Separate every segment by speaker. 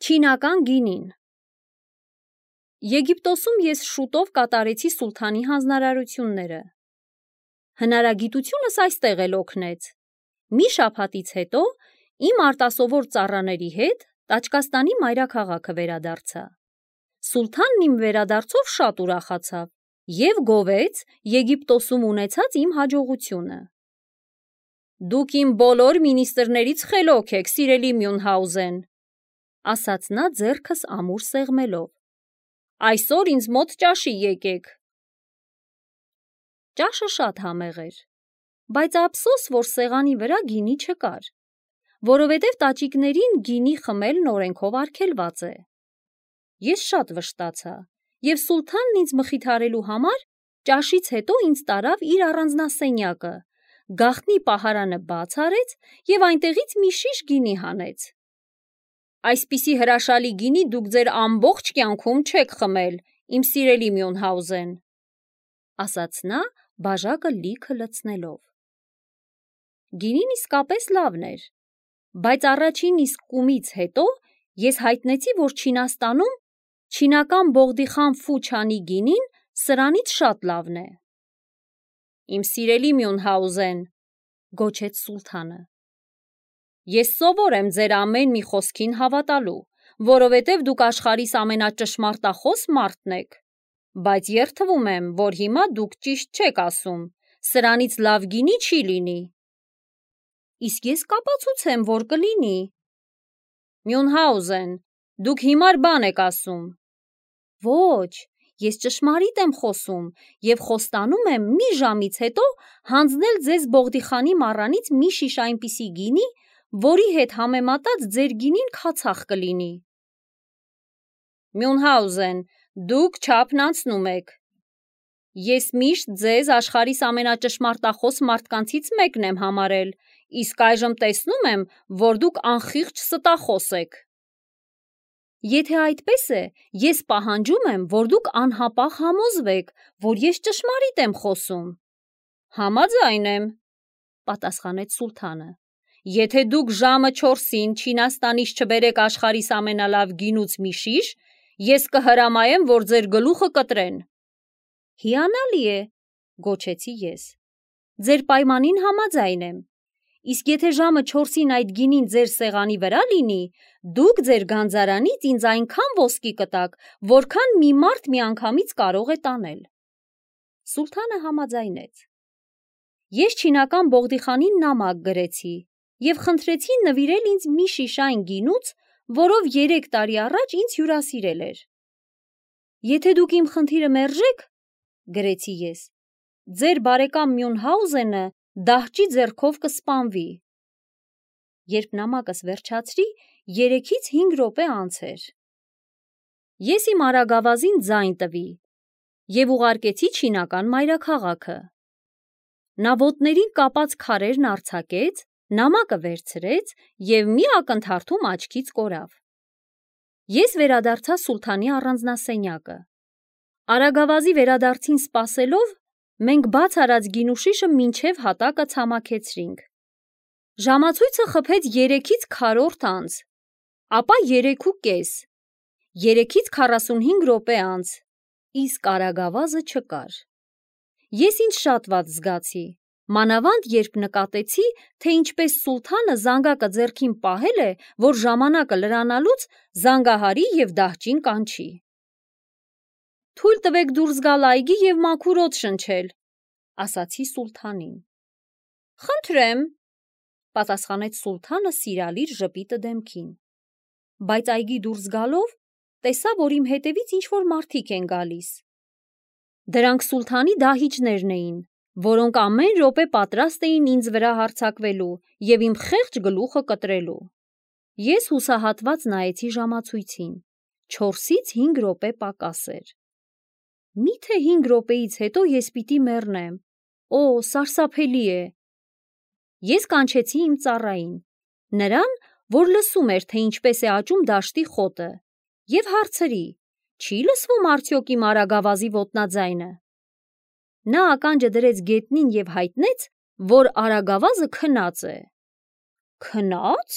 Speaker 1: Չինական գինին։ Եգիպտոսում ես շուտով կատարեցի սուլթանի հանձնարարությունները։ Հնարագիտությունս այստեղ էլ օգնեց։ Մի շաբաթից հետո իմ արտասովոր ծառաների հետ Տաճկաստանի մայրաքաղաքը վերադարձա։ Սուլթանն իմ վերադարձով շատ ուրախացավ և գովեց Եգիպտոսում ունեցած իմ հաջողությունը։ «Դուք իմ բոլոր մինիստրներից խելոք եք, սիրելի Մյունհաուզեն», ասաց նա ձեռքս ամուր սեղմելով։ «Այսօր ինձ մոտ ճաշի եկեք»։ Ճաշը շատ համեղ էր, բայց ափսոս, որ սեղանի վրա գինի չկար, որովհետև տաճիկներին գինի խմելն օրենքով արգելված է։ Ես շատ վշտացա, և սուլթանն ինձ մխիթարելու համար ճաշից հետո ինձ տարավ իր առանձնասենյակը, գաղտնի պահարանը բաց արեց և այնտեղից մի շիշ գինի հանեց։ «Այսպիսի հրաշալի գինի դուք ձեր ամբողջ կյանքում չեք խմել, իմ սիրելի Մյունհաուզեն», ասաց նա բաժակը լիքը լցնելով։ Գինին իսկապես լավն էր, բայց առաջին իսկ կումից հետո ես հայտնեցի, որ Չինաստանում չինական Բողդիխան Ֆու Չանի գինին սրանից շատ լավն է։ «Իմ սիրելի Մյունհաուզեն», գոչեց սուլթանը, «ես սովոր եմ ձեր ամեն մի խոսքին հավատալու, որովհետև դուք աշխարհիս ամենաճշմարտախոս մարդն եք, բայց երդվում եմ, որ հիմա դուք ճիշտ չեք ասում, սրանից լավ գինի չի լինի»։ «Իսկ ես կապացուցեմ, որ կլինի»։ «Մյունհաուզեն, դուք հիմար բան եք ասում»։ «Ոչ, ես ճշմարիտ եմ խոսում և խոստանում եմ մի ժամից հետո հանձնել ձեզ Բողդիխանի մառանից մի շիշ այնպիսի գինի, որի հետ համեմատած ձեր գինին քացախ կլինի»։ «Մյունհաուզեն, դուք չափն անցնում եք։ Ես միշտ ձեզ աշխարհիս ամենաճշմարտախոս մարդկանցից մեկն եմ համարել, իսկ այժմ տեսնում եմ, որ դուք անխիղճ ստախոս եք։ Եթե այդպես է, ես պահանջում եմ, որ դուք անհապաղ համոզվեք, որ ես ճշմարիտ եմ խոսում»։ «Համաձայն եմ», պատասխանեց սուլթանը։ «Եթե դուք ժամը 4-ին Չինաստանից չբերեք աշխարհիս ամենալավ գինուց մի շիշ, ես կհրամայեմ, որ ձեր գլուխը կտրեն»։ «Հիանալի է», գոչեցի ես։ «Ձեր պայմանին համաձայն եմ։ Իսկ եթե ժամը 4-ին այդ գինին ձեր սեղանի վրա լինի, դուք ձեր գանձարանից ինձ այնքան ոսկի կտաք, որքան մի մարդ միանգամից կարող է տանել»։ Սուլթանը համաձայնեց։ Ես չինական Բողդիխանին նամակ գրեցի և խնդրեցի նվիրել ինձ մի շիշ այն գինուց, որով 3 տարի առաջ ինձ հյուրասիրել էր։ «Եթե դուք իմ խնդիրը մերժեք, գրեցի ես, ձեր բարեկամ Մյունհաուզենը դահճի ձեռքով կսպանվի»։ Երբ նամակս վերջացրի, 3-ից 5 րոպե անց էր։ Ես իմ արագավազին ձայն տվի և ուղարկեցի չինական մայրաքաղաքը։ Նա ոտներին կապած քարերն արձակեց, նամակը վերցրեց և մի ակնթարթում աչքից կորավ։ Ես վերադարձա սուլթանի առանձնասենյակը։ Արագավազի վերադարձին սպասելով, մենք բաց արած գինուշիշը մինչև հատակը ցամաքեցրինք։ Ժամացույցը խփեց 3-ից քառորդ անց, ապա 3:30, 3-ից 45 րոպե անց, իսկ արագավազը չկար։ Ես ինձ շատ վատ զգացի, մանավանդ երբ նկատեցի, թե ինչպես սուլթանը զանգակը ձեռքին պահել է, որ ժամանակը լրանալուց զանգահարի և դահճին կանչի։ «Թույլ տվեք դուրս գալ այգի և մաքուր օդ շնչել», ասացի սուլթանին։ «Խնդրեմ», պատասխանեց սուլթանը սիրալիր ժպիտը դեմքին։ Բայց այգի դուրս գալով, տեսա, որ իմ հետևից ինչ-որ մարդիկ են գալիս։ Դրանք սուլթանի դահիճներն էին, որոնք ամեն րոպե պատրաստ էին ինձ վրա հարձակվելու և իմ խեղճ գլուխը կտրելու։ Ես հուսահատված նայեցի ժամացույցին, 4-ից 5 րոպե պակաս էր։ Միթե 5 րոպեից հետո ես պիտի մեռնեմ։ Օ, սարսափելի է։ Ես կանչեցի իմ ծառային, նրան, որ լսում էր, թե ինչպես է աճում դաշտի խոտը, և հարցրի. «Չի լսվում արդյոք իմ արագավազի ոտնաձայնը»։ Նա ականջը դրեց գետնին և հայտնեց, որ արագավազը քնած է։ Քնա՞ծ։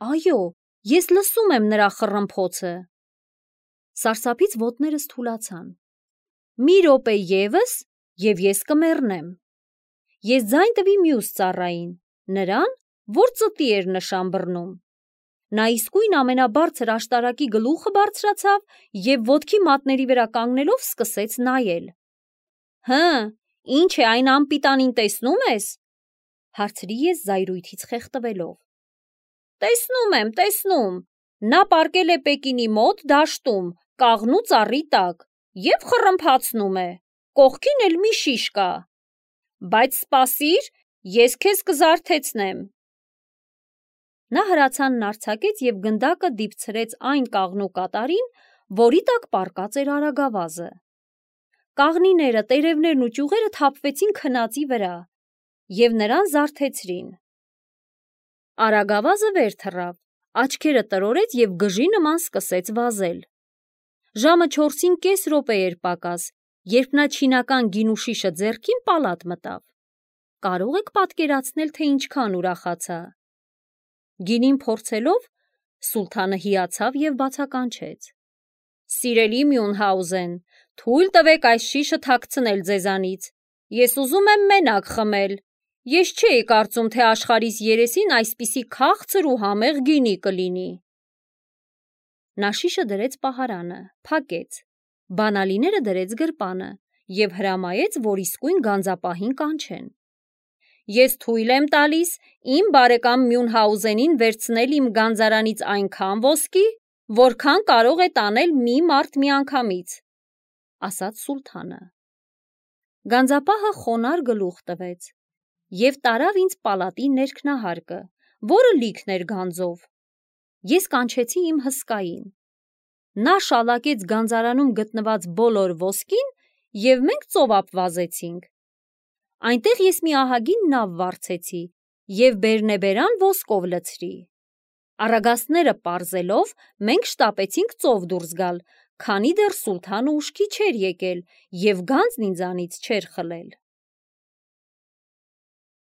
Speaker 1: Այո, Ես լսում եմ նրա խռմփոցը։ Սարսափից ոտներս թուլացան։ Մի րոպե ևս, և ես կմեռնեմ։ Ես ձայն տվի մյուս ծառային, նրան, որ ծտի էր նշան բռնում։ Նա իսկույն ամենաբարձր աշտարակի գլուխը բարձրացավ և ոտքի մատների վրա կանգնելով սկսեց նայել։ Հը, ինչ է այն անպիտանին տեսնում ես, հարցրի ես զայրույթից խեղդվելով։ Տեսնում, նա պառկել է Պեկինի մոտ դաշտում, կաղնու ծառի տակ, և խռմփացնում է, կողքին էլ մի շիշ կա, բայց սպասիր, ես քեզ կզարթեցնեմ։ Նա հրացանն արձակեց և գնդակը դիպցրեց այն կաղնու կատարին, որի տակ պառկած էր արագավազը։ Կաղնիները, տերևներն ու ճյուղերը թափվեցին քնածի վրա և նրան զարթեցրին։ Արագավազը վեր թռավ, աչքերը տրորեց և գժի նման սկսեց վազել։ Ժամը 4-ին կես րոպե էր պակաս, երբ նա չինական գինու շիշը ձեռքին պալատ մտավ։ Կարող եք պատկերացնել, թե ինչքան ուրախացա։ Գինին փորձելով, Սուլթանը հիացավ և բացականչեց. Սիրելի Մյունհաուզեն, թույլ տվեք այս շիշը թաքցնել ձեզանից։ Ես ուզում եմ մենակ խմել։ Ես չէի կարծում, թե աշխարհիս երեսին այսպիսի քաղցր ու համեղ գինի կլինի։ Նա շիշը դրեց պահարանը, փակեց, բանալիները դրեց գրպանը և հրամայեց, որ իսկույն գանձապահին կանչեն։ Ես թույլ եմ տալիս իմ բարեկամ Մյունհաուզենին վերցնել իմ գանձարանից այնքան ոսկի, որքան կարող է տանել մի մարդ միանգամից, ասաց Սուլթանը։ Գանձապահը խոնարհ գլուխ տվեց և տարավ ինձ պալատի ներքնահարկը, որը լիքն էր գանձով։ Ես կանչեցի իմ հսկային։ Նա շալակեց գանձարանում գտնված բոլոր ոսկին և մենք ծովափ վազեցինք։ Այնտեղ ես մի ահագին նավ վարձեցի և բերնեբերան ոսկով լցրի։ Առագաստները պարզելով, մենք շտապեցինք ծով դուրս գալ, քանի դեռ Սուլթանը ուշքի չէր եկել և գանձն ինձանից չէր խլել։